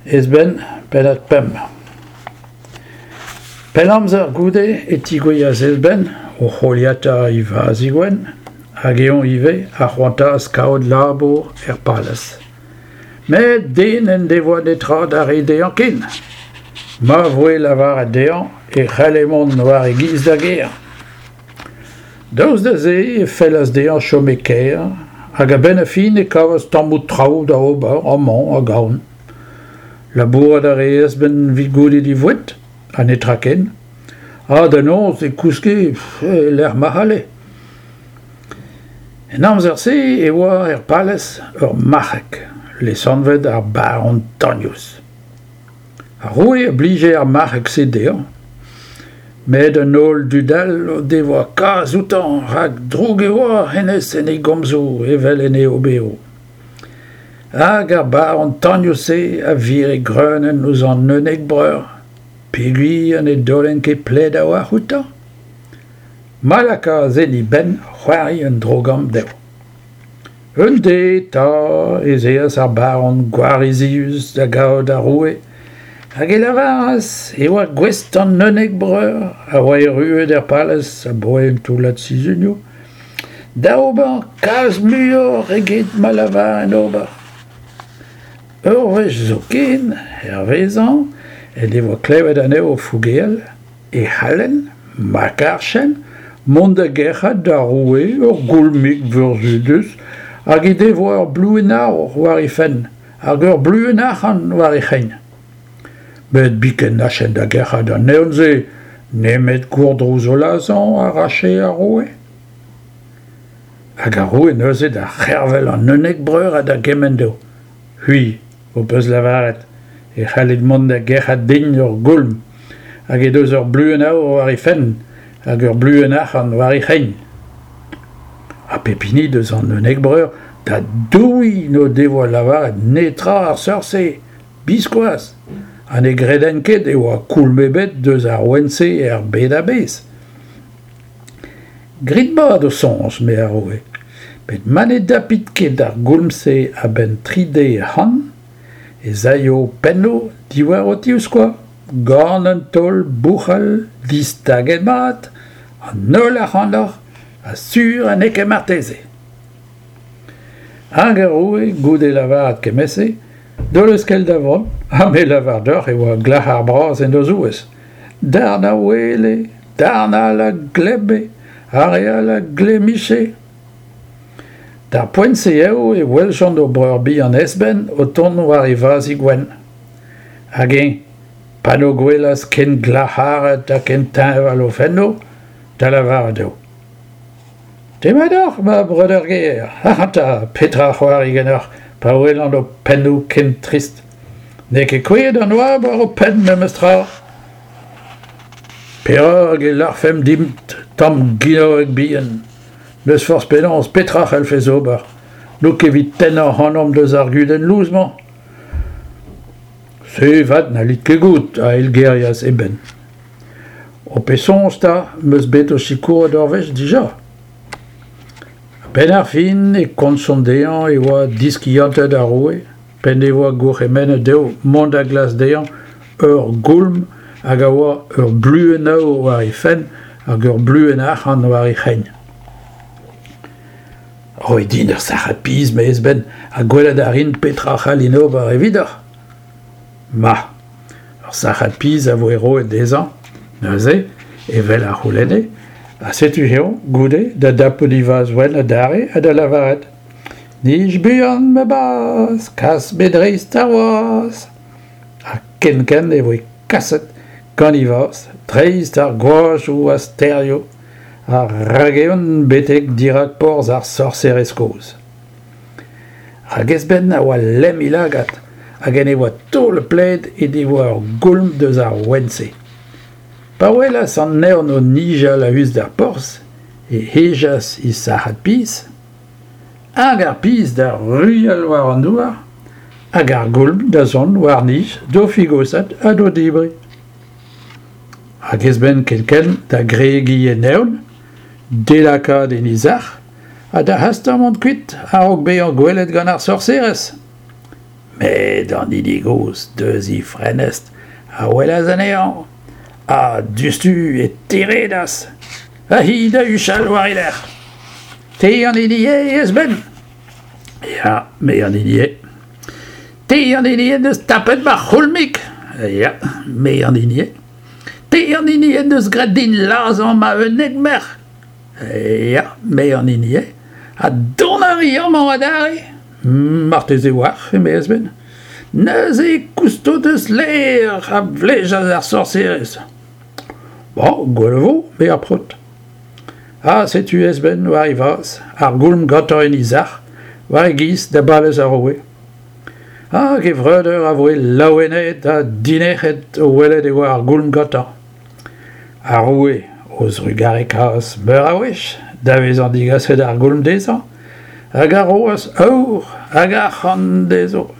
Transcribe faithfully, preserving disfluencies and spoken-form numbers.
Ezben, pennad pemp. Pell amzer goude e tigouezhas Ezben, o c'holiata e vazhig wenn, hag eñ ivez a c'hoantaas kaout labour er palez. Met den n'en devoa netra da reiñ dezhañ ken. Ma voe lavaret dezhañ e c'helle mont war e giz d'ar gêr. Daoust da se e fellas dezhañ chom e kêr hag a-benn ar fin e kavas tammoù traoù da ober amañ hag ahont. Labourat a reas 'benn evit gounit e voued, ha netra ken. Ha da noz e kouske e-lec'h ma c'halle. En amzer-se e oa er palez ur marc'heg, lesanvet ar baron Tagnous. Ar roue a blije ar marc'heg-se dezhañ, met an holl dud all o devoa kaz outañ rak drouk e oa hennezh en e gomzoù evel en e oberoù. Hag ar baron Tagnous-se a vire greunenn ouzh an unnek breur, peogwir ne daolent ket pled a-walc'h outañ. Ma lakaas en e benn c'hoari un dro-gamm dezho. Un deiz 'ta ez eas ar baron gwarizius da gaout ar roue hag e lavaras e oa gouest an unnek breur a oa erruet er palez abaoe un toullad sizhunioù da ober kalz muioc'h eget ma lavarent ober. Ur wech zoken, hervezañ, en devoa klevet anezho o fougeal, e c'hallent, ma karjent, mont da gerc'hat d'ar roue ur goulmig burzhudus hag he devoa ur bluenn aour war he fenn hag ur bluenn arc'hant war he c'hein. Met biken n'achent da gerc'hat an evn-se, nemet gourdrouz o lazhañ a rache ar roue. Hag ar roue neuze da c'hervel an unnek breur ha da gemenn dezho. C'hwi, ho peus lavaret, e c'hallit mont da gerc'hat din ur goulm hag he deus ur bluenn aour war he fenn hag ur bluenn arc'hant war he c'hein. Ha pep hini deus an unnek breur da douiñ n'o devoa lavaret netra ar seurt-se, biskoazh, ha ne gredent ket e oa koulm ebet deus ar ouenn-se er bed a-bezh. Grit mat ho soñj, eme ar roue, met ma ne dapit ket ar goulm-se a-benn tri deiz ac'hann, ez aio ho pennoù diwar ho tivskoaz, gant un taol bouc'hal distaget mat, an holl ac'hanoc'h, ha sur ha n'eo ket marteze. Hag ar roue, goude lavaret kement-se, d'o leuskel da vont, ha me lavar deoc'h e oa glac'har bras en o zouez. Darn a ouele, darn all a glemme, ar re all a glemmiche. D'ar poent-se eo e weljont o breur bihan Ezben o tont war e vazhig wenn. Hag eñ, pa n'o gwelas ken glac'haret ha ken teñval o fennoù, da lavaret dezho. Demat deoc'h, ma breudeur ger, ac'hanta, petra c'hoari ganeoc'h pa welan ho pennoù ken trist. N'eo ket kouezhet an oabl war ho penn memes tra. Perak e lârfemp dimp tamm ginoeg bihan. N'eus forzh penaos petra c'hellfes ober. N'out ket evit tennañ ac'hanomp deus ar gudenn lous-mañ. Se 'vat n'hallit ket goût, a eilgerias eben. Ho pet soñj 'ta, 'm eus bet ho sikouret ur wech dija. A-benn ar fin e komzjont dezhañ e oa diskiantet ar roue, p'en devoa gourc'hemennet dezho mont da glask dezhañ ur goulm hag a oa ur bluenn aour war he fenn hag ur bluenn arc'hant war he c'hein. Roit din ur sac'had piz, eme Ezben, ha gwelet a rin petra c'hallin ober evidoc'h. Ma, ur sac'had piz a voe roet dezhañ, neuze, evel a c'houlenne, ha setu eo, goude, da dapout e vazh wenn adarre ha da lavaret. Nij buan, ma bazh, kas me dreist ar wazh. Ha kenkent e voe kaset gant e vazh dreist ar gwajoù ha stêrioù, ha rag-eeun betek dirak porzh ar sorserez kozh. Rak Ezben a oa lemm e lagad hag en devoa taolet pled he devoa ur goulm deus ar ouenn-se. Pa welas an evn o nijal a-us d'ar porzh, e hejas e sac'had piz, hag ar piz da ruilhal war an douar, hag ar goulm da zont war-nij d'o figosat ha d'o debriñ. Hag Ezben kenkent da gregiñ en evn, d'e lakaat en e sac'h, ha da hastañ mont kuit a-raok bezañ gwelet gant ar sorserez. Met an hini gozh deus he frenestr a welas anezhañ ha diouzhtu e teredas ha hi da huchal war e lerc'h. Te an hini eo, Esben? Ya, me an hini eo. Te an hini en deus tapet ma c'houlmig? Ya, me an hini eo. Te an hini en deus graet din lazhañ ma unnek merc'h? Ya, me an hini eo. Ha dont a ri amañ adarre? Marteze 'walc'h, eme Esben. Neuze e kousto deus lêr, a vlejas ar sorserez. Bon, gwell e vo, eme ar paotr. Ha setu Esben war e vazh, ar goulm gantañ en e sac'h, war e giz da balez ar roue. Hag e vreudeur a voe laouenaet ha dinec'het o welet e oa ar goulm gantañ. Ar roue o zrugarekaas meur a wech da vezañ digaset ar goulm dezhañ hag a roas aour hag arc'hant dezho.